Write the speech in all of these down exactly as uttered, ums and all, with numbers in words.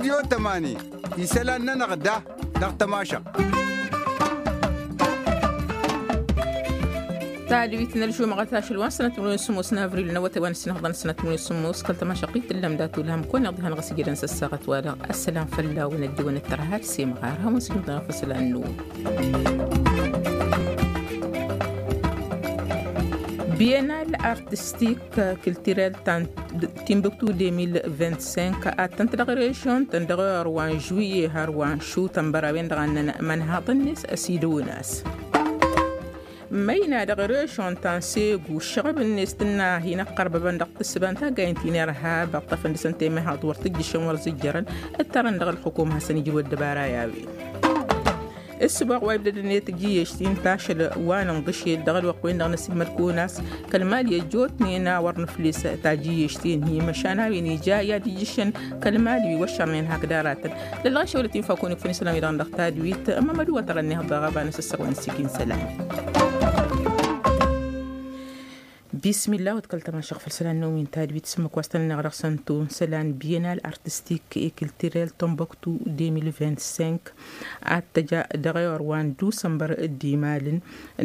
Tiyo tămani isălan-nănăɣ da dăɣ-tămašăɣt. Tadwit n-ălžumăɣăt ašăl wa n-sănăt mălăwen sămos n-avril n-awătay wa n-sinăɣḍăn sănăt mălăwen sămos kăl-tămašăɣt itǝllăm datulhăm kăwăn-iɣ diha n-ɣas ijădăn s-ăssaɣăt wa dăɣ-ăssălam fălla-wen ăddewăn ăttărha ad-semɣar hawăn-s ijmăḍăn făsălan-năwăn. Bienal artistik kiltirel ta n-timbuktu deux mille vingt-cinq ad-tăn-t dăɣ-režion-tăn dăɣ-ewăr wa n-žuiye har wa n-šutănbăr a-wen-dăɣ a ǝnnăn imănhaḍăn-net ăsidăwăn-as. Măyna dăɣ-režion ta n-segu ǝššăɣăb-net tǝnna hin-ăqqărbăbăn dăɣ-tǝssǝba n-taggayen ti n-irhab ăṭṭăfăn dăɣ-săn temăhaḍ wăr tǝjjǝšăn wăr zǝjjărăn. Ǝttărăn dăɣ-ălxukum ad-hasăn-ijrǝw ăddăbara i-a-wen. Ǝssǝboɣ wa ibdădăn i-tajǝyyešt-in tašăl wa n-inḍǝšel dăɣ-ălwăqq-wen-dăɣ n-asǝmmălkun a-s kăl-mali ăjjootnen a wăr nǝfles tajǝyyešt-in-hi măšan a-wen ija i-ad-ijjǝšăn kăl-mali wi wăššărnen hakd aratăn. Lălɣašăwălăt-in fakun ikfăn isălan-wi-dăɣ dăɣ-tadwit ămmămădu wa tărăn ihăḍ dăɣ-aba n-asǝssăɣ wa n-sikin isălan. Bismillah wa t-kăl-tămašăɣ făll-isălan-năwăn n-tadwit s-ǝmmǝk wa s-tăn-ănneɣ dăɣ-săn tun isălan bienal artistik et culturel tomboktu deux mille vingt-cinq. Ad-tăja dăɣ-ewăr wa n-dusănbăr d-imalăn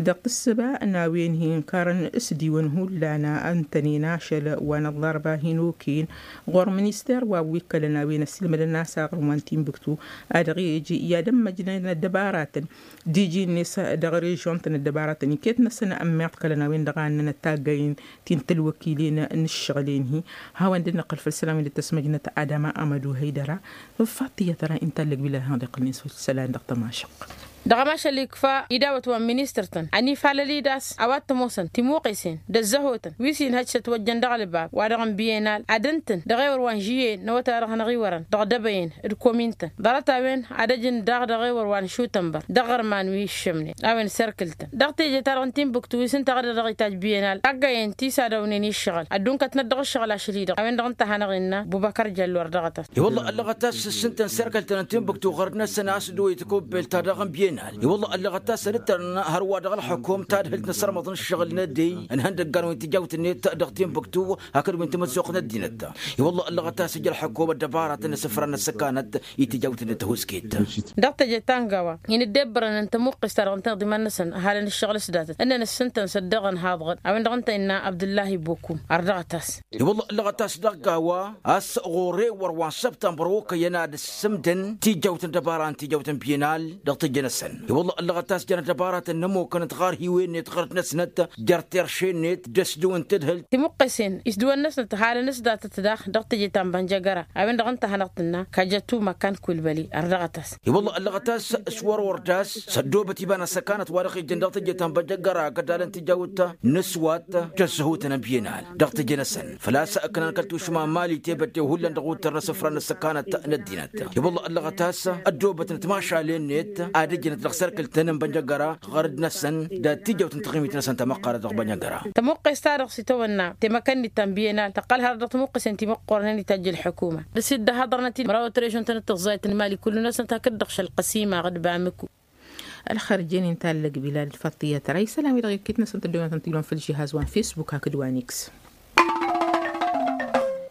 dăɣ-tǝssǝba n-a-wen hin-karăn s-diwăn hullan a ǝntănen ašăl wa n-ăllarba hin-okăyăn ɣur-minister wa wi ǝkkălăn a-wen ăssiilmădăn a-s aɣrǝm wa n-timbuktu. Ad-dăɣ-e-ăj i-ad-ămmăjnăn ăddăbaratăn d-iji-net dăɣ-režion-tăn ăddăbaratăn iket-năsăn ămmiḍkălăn a-wen-dăɣ a ǝnnăn ăttaggayen ti n-tălwăkilen n-ǝššăɣǝl-en-hi. Hawăn-dd-năqqăl făll-isălan wi dd-tăsmăjnăt adama amădu hăydăra. Făl fattiyăt ara inta ǝllăg bila hănḍeqăl-net făll-isălan dăɣ-tămašăɣt. Dăɣ-ămašal ikfa idawăt wa n-ministăr-tăn ănifalăl-dd a-s a-wa t-ămoosăn timuqesen d-ăzzăhotăn wi s-inhăj s-ătwăjjăn dăɣ-ălbab wa-dăɣ n-bienal ad-ǝntǝn dăɣ-ewăr wa n-žiyye n-awătay wa dăɣ-hanăɣ-iwărăn dăɣ-dăbăyăn d-komin-tăn ḍarăt-a-wen ad-ăjǝn daɣ dăɣ-ewăr wa n-šutănbăr dăɣ-iɣărman wi ǝššǝmnen a-wen serkǝl-tăn dăɣ-teje-ta-dăɣ n-timbuktu wi s-ǝnta ɣădăɣ dăɣ-itajj bienal taggayen ti s-ad-ăwnen i-ǝššăɣǝl ăddunkătnăt dăɣ-ǝššăɣǝl ašăl-i-dăɣ a-wen-dăɣ ǝnta a hanăɣ-innă bubăkăr jăllu ărdăɣăt-as. I-wălla ăllăɣăt-as s-ǝntăn serkăl-tăn n-timbuktu ɣărăt-năsăn a-s dd-oyǝt kobel ta dăɣ-n bienal i-wălla ăllăɣăt-as ad-ǝttărăn hărwa dăɣ-ălxukum tadhǝlt n-asărmăḍ n-ǝššăɣǝl n-ăddey ǝnhăndăggan wi n-tijawt-net dăɣ-timbuktu hakd wi n-tamăzzuɣt n-ăddinăt. I-wălla ăllăɣăt-as ija ălxukum ăddăbaratăn n-asǝfran n-ăssăkanăt i-tijawt-net tăhusket. Dăɣ-teje ta n-gawa hin-ǝddebbărăn n-tămuqqest-ta-dăɣ ǝnta iḍiman-năsăn ăhalăn ǝššăɣǝl s-datăt ǝnnăn ǝssǝntăn s-ăddăɣăn haḍɣăn a-wen-dăɣ ǝnta innă abdǝllahi bokum ărdăɣăt-as. I-wălla ăllăɣăt-as dăɣ-gawa a-s ɣur-ewăr wa n-săbtămbăr okăyăn ad-ǝssǝmdăn tijawt n-ăddăbara n-tijawt n-bienal dăɣ-teje-năsăn. I-wălla ăllăɣăt-as jăn ăddăbaratăn n-ămmukăn d-ɣarhiwen-net ɣărăt-năsnăt jer-terše-net d-ăsdǝw n-tadhǝlt. Timuqqesen isdǝwăn-năsnăt halăn s-datăt daɣ dăɣ-teje ta n-bănjăgăra a-wen-dăɣ ǝnta a hanăɣ-tǝnna kajătu măkkan kulbăli ărdăɣăt-as. I-wălla ăllăɣăt-as s-wăr-wăr d-a-s s-ăddoobăt iba n-ăssăkanăt wa dăɣ-ijăn dăɣ-teje ta n-bănjăgăra gădalăn tijawt n-ăswat d-ăzzăhutăn n-bienal dăɣ-teje-năsăn făl-a-s ǝknan kăl-tušma n-mali tebăddew hullan dăɣ-uttăr n-asǝfra n-ăssăkanăt n-ăddinăt. I-wălla ăllăɣăt-as ăddoobătnăt mašalen-net ad-ǝjnăt dăɣ-serkǝl-tăn n-bănjăgăra ɣărăd-năsăn d-ad-tijăwt n-taɣimit-năsăn tamăqqarăt dăɣ-bănjăgăra. Tămuqqes-ta-dăɣ s-itawănna temăkănnit ta n-bienal tăqqăl hărăt dăɣ-tămuqqesen timuqqornen itajj ălḥukuma d-s-dd-ăhaḍărnăt-dd măraw ătrăžun-tăn d-tăẓẓayăt n-mali kullu-năsnăt hakd-dăɣ šălqăsima d-bamǝku. Ălxărjen inta ăllăg bilal d-faṭṭiyăt ra isălan-wi-dăɣ iket-năsăn tăddoonătăn tilon făll-žihaz wa n-fesbuk hakd wa n-iks.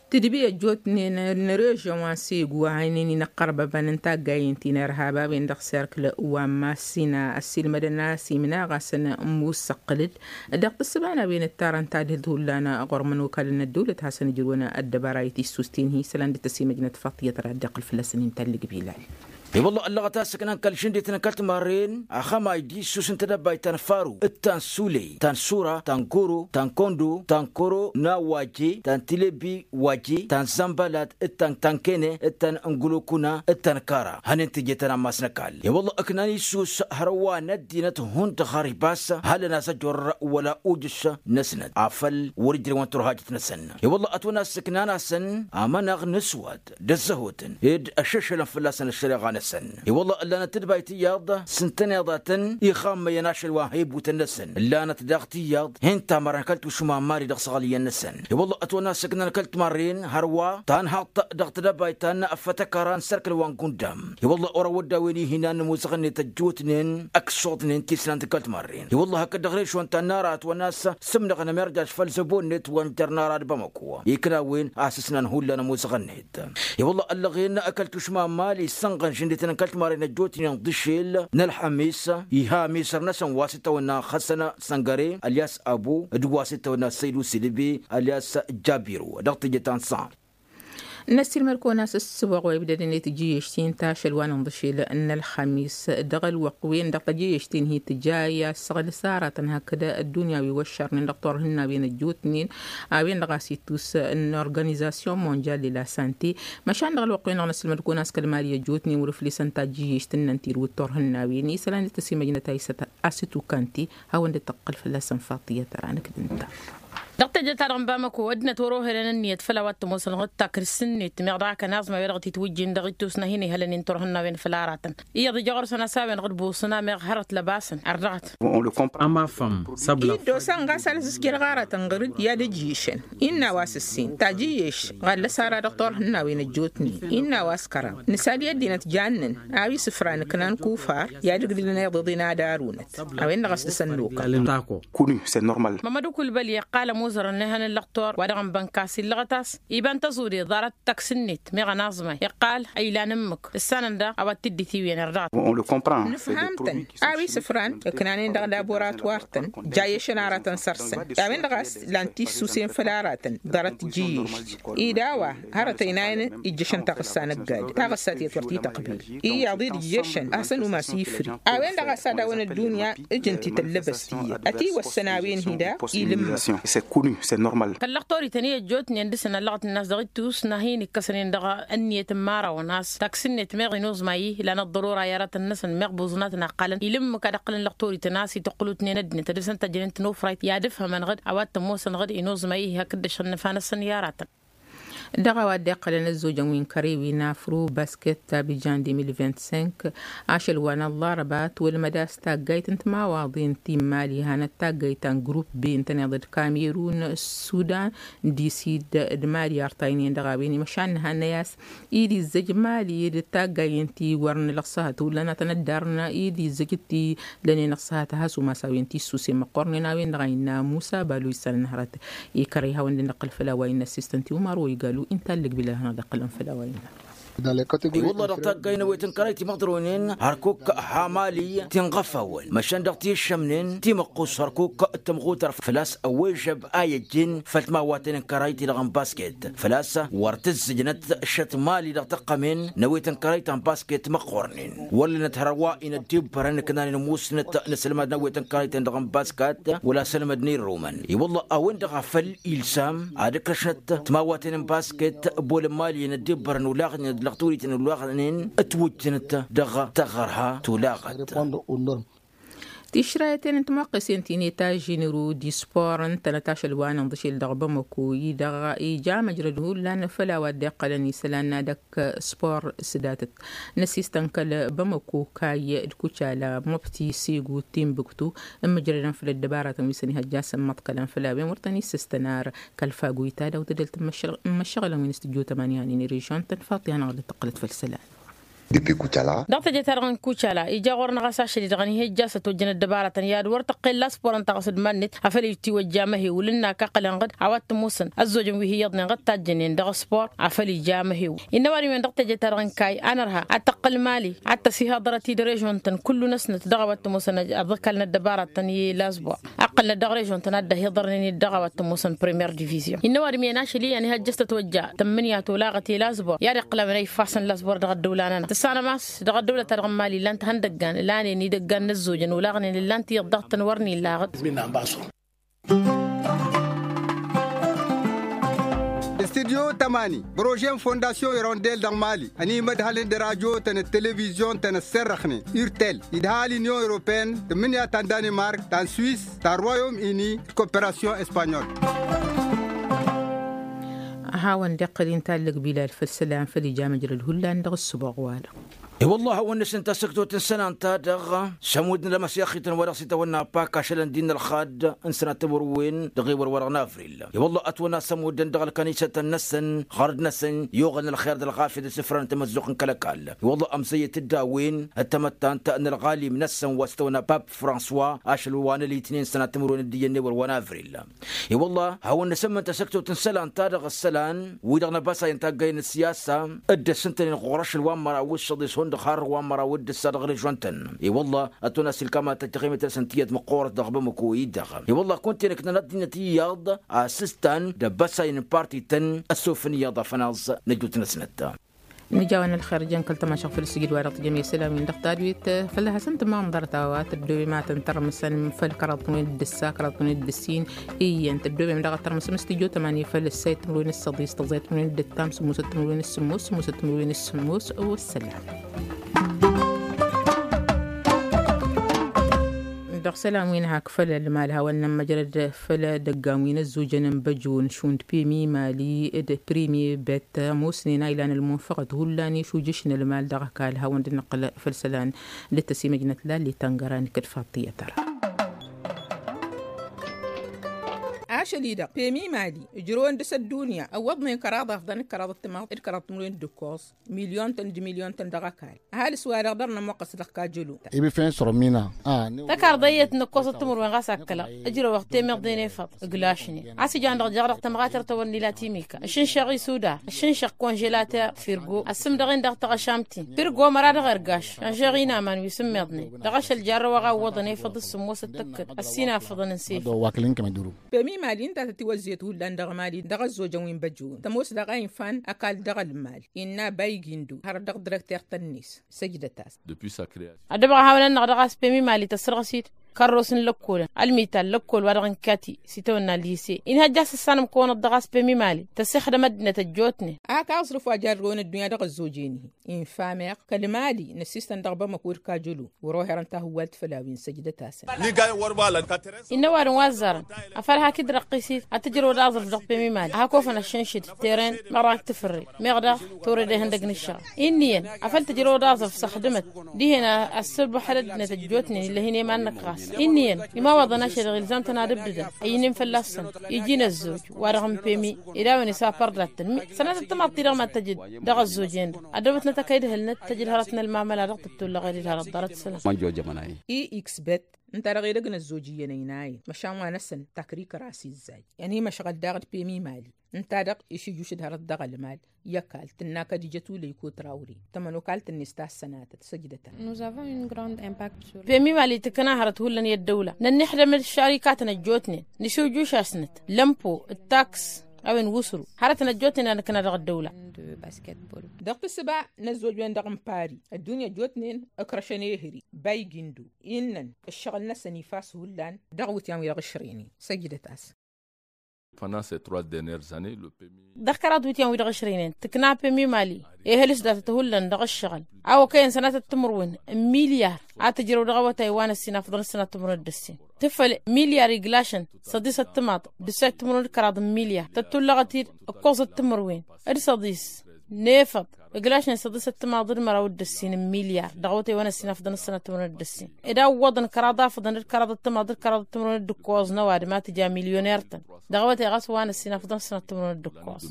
Tidbi ăjjootnen n-režăn wa n-segu a ǝnnin inăqqărbăbăn n-taggayen ti n-irhab a-wen-dăɣ serkǝl wa n-massina ăssiilmădăn a-s imnaɣ-asăn n-mussăqqǝl-dd dăɣ-tǝssǝba n-a-wen ǝttarăn tadhǝlt hullan ɣur-imănokalăn n-ăddăwlăt hasăn-ǝjrǝwăn ăddăbara i-tissusten-hi isălan dd-tăsimăjnăt faṭṭiyăt ra dd-iqqǝl fălla-săn inta ăllăg bilal. I-wălla ăllăɣăt a-s ǝknan kăl-žǝndităn kăl-timarren axămay d-issus n-tedăbbayt ta n-faru d-ta n-suley ta n-sura ta n-goro ta n-kondo ta n-koro n-awaje ta n-tilebi waje ta n-zănbălat d-ta n-tankene d-ta n-gulokuna d-ta n-kara hănen teje-tăn ammas n-ăkall. I-wălla ǝknan issus hărwa n-ăddinăt hundăɣ har ibas halăn-as ăjorr wăla ujǝš-năsnăt afăl wăr-ijrăwăn turhajăt-năsăn. I-wălla ătwăn-as ǝknan-asăn amănăɣ n-ăswat d-ăzzăhotăn d-ăššăšălăn fălla-săn ăššăreɣa-năsăn. I-wălla ǝllanăt tǝdbayt iyyăḍ s-ǝntăneḍ a tăn-ixammăyăn ašăl wa n-hibutăn-năsăn ǝllanăt daɣ tiyyăḍ hin-tamărăn kăl-tušma n-mali dăɣ-săɣăl iyyăn-năsăn. I-wălla ătwănna s-ǝknan kăl-timarren hărwa ta n-haḍt dăɣ-tedăbayt ta n-afătăkăra n-sărkăl wa n-gundam. I-wălla orăwădda a-wen ihinan n-amuzăɣ-net ăjjootnen ăksuḍnen tisnant kăl-timarren. I-wălla hakd dăɣ-režon ta n-ara ătwănna s-sǝmnăɣăn ămirjaj făll-zăbo-net wa n-jăr n-ara d-bamăko ikna a-wen a-s ǝsnan hullan amuzăɣ-net. I-wălla ăllăɣen kăl-tušma n-mali issănɣăn žǝndităn kăl-timarren ăjjootnen d-ašel n-ălxămis iha amisăr-năsăn wa s-itawănna xăsăn săngăre ălyas abo d-wa s-itawănna săydu silibi ălyas jabiru dăɣ-teje ta n-san. Năssiilmăd-kăwăn a-s ǝssǝboɣ wa ibdădăn i-tǝjjǝyyešten ta ašăl wa n-inḍǝšel n-ălxămis dăɣ-ălwăqq-wen-dăɣ tăjjǝyyešten hi-tǝja i-assăɣ lăsaratăn hakd ăddunya wi wăššărnen dăɣ-turhǝnnawen ăjjootnen a-wen-dăɣ a-s ittus n-organizasyon monjal i-la sante. Măšan dăɣ-ălwăqq-wen-dăɣ năssiilmăd-kăwăn a-s kăl-mali ăjjootnen wăr-ǝflǝsăn tajjǝyyešt ǝnnăn tirǝw d-turhǝnnawen isălan d-tăsimăjnăt a isăt a-s ǝtukanti. Hawăn-dd-tăqqǝl fălla-săn faṭiyăt ăranăk d-ǝnta. Dăɣ-teje-ta-dăɣ n-bamăko ăddinăt wăr-ohe ălăn ǝnniyăt făll-a-wa t-ămoosăn ɣǝd takǝl s-net meɣ dăɣ-akăn aẓmay wa dăɣ-titwǝjjin dăɣ-ittus n-ad-hin-ihălăn-in turhǝnnawen făll-aratăn. Iyyăḍ ija ɣur-săn a-s a-wen-dăɣ d-busǝna meɣ hărăt lăbasăn ărdăɣăt. Ămafăm săbla. Iddos-an ɣas alăs s-jăr ɣaratăn ɣǝr-dd i-ad-ǝjjǝyšăn innă a-wa s-ǝssin tajǝyyeš ɣallăs ara dăɣ-turhǝnnawen ăjjootnen innă a-wa s-kăraḍ nǝsali ăddinăt jannăn a-wa isǝfran ǝknan kufar i-ad-ǝgdǝlăn iḍeḍen ad-arunăt. A-wen-dăɣ a-s dăɣ-săn nukăl. Kunu s-e normal. Mămăd ukulbăl iqqal ămuzărăn n-ehăn n-lăxtor wa dăɣ-n bănkas illăɣăt a-s iba n-tăẓude ḍarăt taksǝnnet meɣ ănaẓmay iqqal a ilan ǝmmǝk ǝssanăn daɣ a-wa t-dd-itiwǝyăn ărdăɣăt. Nǝfham-tăn a-wa isǝfran ǝknanen dăɣ-laboratwar-tăn. Jayešăn aratăn săr-săn a-wen-dăɣ a-s lan tissusen făll-aratăn ḍarăt tǝjjǝyyešt ida a-wa hărăt ăynayăn ijjăšăn taɣǝssa n-ăgg-ad taɣǝssa tiyăt wăr t-tăqbil iyyăḍ-i d-ǝjjăšăn a hasăn-umas ifri. A-wen-dăɣ a-s ad-awăn ăddunya ǝjǝn tităllăbăst iyyăt ătiwăssăn a-wen hi-daɣ. Ilǝmmăɣ. Kăl-lăxtorităn i-ăjjoot n-iyyăn dăɣ-săn ăllăɣăt n-ass dăɣ-ittus n-ad-hin-ikkăsăn-in dăɣ-ǝnniyăt n-imărawăn a-s taksǝnnet meɣ inoẓmay-i lan ăḍḍărora i-aratăn-năsăn meɣ buẓǝnatăn a ǝqqălăn ilǝmmǝk ad-ǝqqǝlăn lăxtorităn a-s itǝqqǝlutnen ăddinăt ad-dăr-săn tăjjănen tinufrayt i-ad-ǝfhămăn ɣǝd a-wa t-ămoosăn ɣǝd inoẓmay-i hakd ăššănnăfa-năsăn i-aratăn. Dăɣ-a-wa dd-iqqălăn ăzzojăn wi n-kărew i-nafru basket ta bijan deux mille vingt-cinq. Ašăl wa n-ăllarăba tolmăd a-s taggayt n-timawaḍen ti n-mali hanăt taggayt ta n-grupp be ǝntăneḍ d-kamerun, sudan, disid d-mali artaynen dăɣ-a-wen imăšan n-hannăy a-s id-izzăj mali d-taggayen ti wăr nǝlăɣ s-ahăt hullan a tăn-ăddarnă id-izzăj ti lănen ăṣṣăhăt a has-umas a-wen ti ǝssusen măqqornen a-wen-dăɣ a innă musa balu issan n-hărăt. Ikărăy hawăn-dd-nǝqqǝl făll-a-wa innă ăssistăn ti umar wa igalu inta ăllăgbil ad-hanăɣ-dd-iqqǝlăn făll-a-wa innă. I-wălla dăɣ-taggayen n-awet n-kărăy timăḍronen hărkuk, hamali tinɣăfawăn măšan dăɣ-ti ǝššămnen timăqqus hărkuk d-tămɣutăr făl-a-s ăwwežăb a i-ăjjin făll-timawwaten n-kărăy ti-dăɣ n-basket făl-a-s wăr tǝzzǝjnăt šăt mali dăɣ-tăqqămen n-awet n-kărăy ta n-basket măqqornen. Wăllănăt hărwa inăddibbărăn ǝknanen musnăt n-asălmad n-awet n-kărăy-ten dăɣ-n basket wăla asălmad n-irrumăn i-wălla a-wen-dăɣ a făl ilsam ad-ǝkrăšnăt timawwaten n-basket bolăn mali inăddibbărăn ulaɣnen d-lăɣturităn ulaɣnen ătwǝjjǝnăt dăɣ-taɣărha tulaɣăt. Tišrayăten n-timăqqesen ti n-etajinru d-ispor ǝntănăt ašăl wa n-inḍǝšel dăɣ-bamăko-i-dăɣ ija măjrăd hullan făll-a-wa dd-iqqălăn isălan n-ad-ăkk spor s-datăt n-asistăn kăl-bamăko kayy d-kucala mubti sigu timbuktu ǝmmǝjrădăn făll-ăddăbaratăn wi săn ihăjjasăn măḍkălăn făll-a-wen wăr tăn-issǝstăn ar kăl-fagu-i ta daw-tădăl tǝmmăššăɣlăn wi n-s tǝjjutăm anihanen i-režon-tăn faṭi hanăɣ-dd-tăqqălăt făll-isălan. Dăɣ-teje-ta-dăɣ n-kucala ija ɣur-năɣ a-s ašăl-i-dăɣ ănihăjja s-ătwăjjăn ăddăbaratăn i-ad-wăr tăqqel laspor ǝnta ɣas d-iman-net a făl ittiwăjja amăhew ǝlǝnna kăqqălăn ɣǝd a-wa t-ămoosăn ăzzojăn wi hi-iyyăḍnen ɣǝd tajjănen dăɣ-spor a făl ija amăhew. Innă ăwadǝm-iwen dăɣ-teje-ta-dăɣ n-kayy a nărha ad-tăqqǝl mali ad-tăsihăḍărăt-dd režon-tăn kullu-năsnăt dăɣ-a-wa t-ămoosăn ad-ăkall n-ăddăbaratăn i-lasbor. Ăqqălnăt dăɣ-režon-tăn ad-dd-ăhiḍărnen-dd dăɣ-a-wa t-ămoosăn premiyer divizion. Innă ăwadǝm-iyyăn ašăl iyyăn ihăjjăš tătwăjja tămmǝnǝya tolaɣăt i-lasbor i-ad-iqqǝlăm ănayǝffasăn lasbor dăɣ-ăddăwla-nănăɣ tǝssanăm a-s dăɣ-ăddăwlăt-ta-dăɣ n-mali ǝllan-t ihăndăggan ǝlanen idăggan n-ăzzojăn olaɣnen ǝllan-t iyyăḍ daɣ-tăn wăr n-illa ɣǝd. Studyo tămani bărože n-fondasyon irondel dăɣ-mali ănimădhălăn d-radyo-tăn d-televizyon-tăn ăsserrăxnen irtel idha l-inyon europeyăn tǝmmǝnǝya ta n-danimark ta n-swis ta n-royom ini d-koperasyon espanyol. A hawăn-dd-iqqăl inta ăllăg bilal făll-isălan făll-ija măjrăd hullan dăɣ-ǝssǝboɣ-wa-dăɣ. I-wălla hawăn-nǝsǝn tasǝktot n-isălan-ta-dăɣ s-ămudd n-lămăsyaxităn wa dăɣ-s itawănna pak ašălăn d-innă ălxad n-sănat timǝrwen dăɣ-ewăr wăr-dăɣ n-avril. I-wălla ătwănna s-ămuddăn dăɣ-ălkănisătăn-năsăn ɣărd-năsăn i-oɣăl n-ălxer d-ălɣafyăt s-ifrăn n-tamăzzuɣt n-kăl-ăkall. I-wălla ămzăyyăt d-a-wen ăttămăttant n-ălɣalim-năsăn wa s-tăwănna pap francois ašăl wa n-ălitnen sănat timǝrwen d-iyyăn n-ewăr wa n-avril. I-wălla hawăn-nǝsǝmmǝn tasăktot n-isălan-ta-dăɣ ǝssălan wi-dăɣ năbasayăn taggay n-ăssiyasa dd-ăssǝntănen ɣur-ašăl wa n-măraw d-săḍis hundăɣ har wa n-măraw d-ǝssa dăɣ-režon-tăn. I-wălla ătwănna s-ilkam ad-tăjjăɣ i-mătrăsăn tiyyăt măqqoorăt dăɣ-bamăko-i-dăɣ. I-wălla kunta-en ǝknăn ăddinăt iyyăḍ a s-ǝstan d-ăbbăsay n-parti-tăn ăssofăn iyyăḍ afănaẓ n-ăjut-năsnăt. Nǝja-wăn ălxer jăn kăl-tămašăɣ făll-sǝjǝd wa dăɣ-tǝjăm i-isălan-win-dăɣ tadwit. Fălla hasăn-tǝmmăɣ n-ḍarăt a-wa tăddoobem ad-tăn-tărmǝsăn făll-kăraḍ timǝrwen d-ǝssa kăraḍ timǝrwen d-ǝssin. Iyyăn tăddoobem daɣ ad-tărmǝsăm s-tijot ămani făll-ǝssay timǝrwen s-săḍis tăẓẓay timǝrwen d-ǝttam sǝmmosăt timǝrwen s-sǝmmos sǝmmosăt timǝrwen s-sǝmmos. Wăssălam. Dăɣ-isălan-win hak făll-ălmal hawăn-nămmăjrăd făll-edăggan wi n-ăzzojăn n-băjon šund pemi mali d-primi bet ămoosnen a ilan ălmunfăɣăt hullan išujǝš n-ălmal dăɣ-ăkall hawăn-dd-nǝqqǝl făll-isălan d-tăsimăjnăt lalli tangăra n-kăd-faḍt tiyyăt ăra. Ašăl-i-dăɣ pemi mali ǝjrăwăn dăɣ-s ăddunya ăwwăḍnen kăraḍ afḍăn d-kăraḍ ăttămaḍ d-kăraḍ timǝrwen d-ǝkkoẓ milyon-tăn d-milyon-tăn dăɣ-ăkall. Ăhalǝs-wa-dăɣ dăr-nămoqqăs dăɣ-kajălo. Iba i-fen sărmina. Tăkarḍăyyăt n-ǝkkoẓăt timǝrwen ɣas ad-kălăɣ ǝjrăwăɣ temeḍe n-efăḍ ǝglašnen a-s ijan dăɣ-jaɣ dăɣ-tămɣatert a-wăr n-ila timika ǝššǝnšăɣ isudar ǝššǝnšăɣ konželater firgo ăssǝmdăɣ-en dăɣ-taɣăšamt-in firgo măra dăɣ-ergaš šănžăɣ inaman wi s-ǝmmiḍnen. Dăɣ-ašăl jarrăwăɣ a ǝwwăḍăn efăḍ s-sǝmmosăt tăkkăd ăssinafăḍăn n-sefăḍ. Pemi mali ǝnta tătiwăzzet hullan dăɣ-mali dăɣ-ăzzojăn wi n-băjjăwăn tămoos daɣ a infan ăkall dăɣ-ălmal innă baygindo hărăt dăɣ-direkter-tăn-net. Săjdăt-as. Ăddăbăɣ a hawăn-ănnăɣ dăɣ-a-s pemi mali tăssărɣăsit kărros n-lăkkolăn ălmital lăkkol wa dăɣ-inkati s-itawănna lise inhăjja s-ǝssanăm kăwănăt dăɣ-a-s pemi mali tăssixdăm ăddinăt ăjjootnen. Ak aẓrǝf wa jarrăwăn ăddunya dăɣ-ăzzoj-en-hi infa meɣ kăl-mali năssistăn dăɣ-bamăko d-kajălo wăr-oherăn tahǝwwalt făll-a-wen săjdăt-asăn. Innă ăwadǝm wa ăzzarăn afăl hak-dd-răqqis-it ad-tǝjrăwăd aẓrǝf dăɣ-pemi mali ad-hak ofăn ăššǝnšǝd teren meɣ dăɣ-ak tǝfǝrre meɣ dăɣ-tore d-ehăndăg n-ǝššăɣ. Inn'-iyyăn afăl tǝjrăwăd aẓrǝf s-ăxdǝmăt dihen a ăssăbăxăd ăddinăt ăjjootnen ill'-e hin-iman-năk ɣas. Inn'-iyyăn imawăḍăn ašăl-i ɣilzam-tăn ad-ǝbdǝdăn ăyyǝnnin fălla-săn iji n-ăzzoj wa-dăɣ n-pemi ed a-wen isapăr dat-tăn mi sănatăt tămaḍt-ti-dăɣ mad-tăjǝd dăɣ-ăzzoj-en-dăɣ. Ăddăwătnăt a kăy-dd-hǝlnăt tăjǝd hărăt n-ălmamăla dăɣ-tǝttolăɣed d-hărăt ḍarăt isălan. Ixbet ǝnta-dăɣ edăgg n-ăzzoj iyyăn ăynayăn măšan wa-năsăn takrik ras izzaj. Ănimăšɣăl daɣ d-pemi mali ǝnta-dăɣ išǝjjuš d-hărăt dăɣ-ălmal i-ăkall tǝnna kădijăt ulăyko trawre tămănokalt-net ta s-sănatăt săjdăt-a. Pemi mali tǝkna hărăt hullan i-ăddăwla nănnixdăm d-šarikatăn ăjjootnen nǝšǝwjuš-asnăt lămpo d-taks a-wen wǝsru hărătăn ăjjootnen a nǝkna dăɣ-ăddăwla. Dăɣ-tǝssǝba n-ăzzoj-wen-dăɣ n-pari ăddunya ăjjootnen ǝkrăšăn ehări baygindo innăn ǝššăɣǝl-năsăn ifas hullan dăɣ-iwǝtyan wi dăɣ-ǝšrăynen. Săjdăt-as. Dăɣ-kăraḍ iwǝtyan wi dăɣ-ǝšrăynen tǝkna pemi mali ehăl s-datăt hullan dăɣ-ǝššăɣǝl a okăyăn sănatăt timǝrwen n-milyar a tǝjrăw dăɣ-awătay wa n-ăssin afḍăn d-sănat timǝrwen d-ǝssin tǝffăl milyar iglašăn săḍisăt timaḍ d-ǝssayăt timǝrwen d-kăraḍ n-milyar tăttulăɣăt-dd ǝkkoẓăt timǝrwen d-săḍis n-efăḍ ǝglašnen săḍisăt timaḍ d-măraw d-ǝssin n-milyar dăɣ-awătay wa n-ăssin afḍăn d-sănat timǝrwen d-ǝssin ed a ǝwwăḍăn kăraḍ afḍăn d-kăraḍăt timaḍ d-kăraḍăt timǝrwen d-ǝkkoẓ n-ăwadǝm a tǝja milyoner-tăn. Dăɣ-awătay ɣas wa n-ăssin afḍăn d-sănat timǝrwen d-ǝkkoẓ.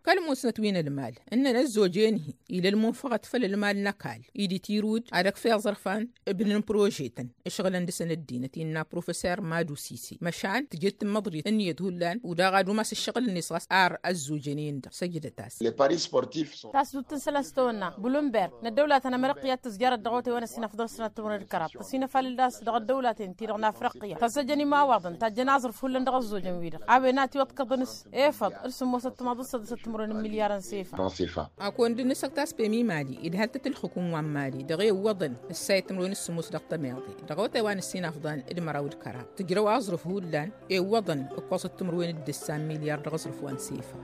Kăl-musnăt wi n-ălmal ǝnnăn ăzzoj-en-hi ila ălmunfăɣăt făll-ălmal n-ăkall-i d-itirud ad-ăkf i-aẓrǝfan ǝbnǝn prože-tăn ǝšɣǝlăn dăɣ-săn ăddinăt innă professor madu sise măšan tǝjed tǝmmăḍrit ǝnniyăt hullan udaɣ ad-umas ǝššăɣǝl-net ɣas ar ăzzoj-en-dăɣ săjdăt-as. Tasdut n-isălan s-tawănna blumberg n-ăddăwla ta n-amrăqqi ad-tǝzjarăt dăɣ-awătay wa n-ăssin afḍăn d-sănat timǝrwen d-kăraḍ tăsinăfalăl-dd a-s dăɣ-ăddăwlaten-ti-dăɣ n-afriqya tăzzăjăn imawaḍăn tajjăn aẓrǝf hullan dăɣ-ăzzojăn-wi-dăɣ a-wen a tiwăḍkăḍăn s-efăḍ d-sǝmmosăt timaḍ d-săḍisăt timǝrwen n-milyarăn s-efăḍ. A kăwăn-dd-nǝsăk ta s-pemi mali idhal-tăt ǝlxǝkǝm wa n-mali dăɣ-e ǝwwăḍăn ǝssayăt timǝrwen s-sǝmmos dăɣ-tămeḍe dăɣ-awătay wa n-ăssin afḍăn d-măraw d-kăraḍ tǝjrăw aẓrǝf hullan e ǝwwăḍăn ǝkkoẓăt timǝrwen d-ǝssa n-milyar dăɣ-aẓrǝf wa n-sefa.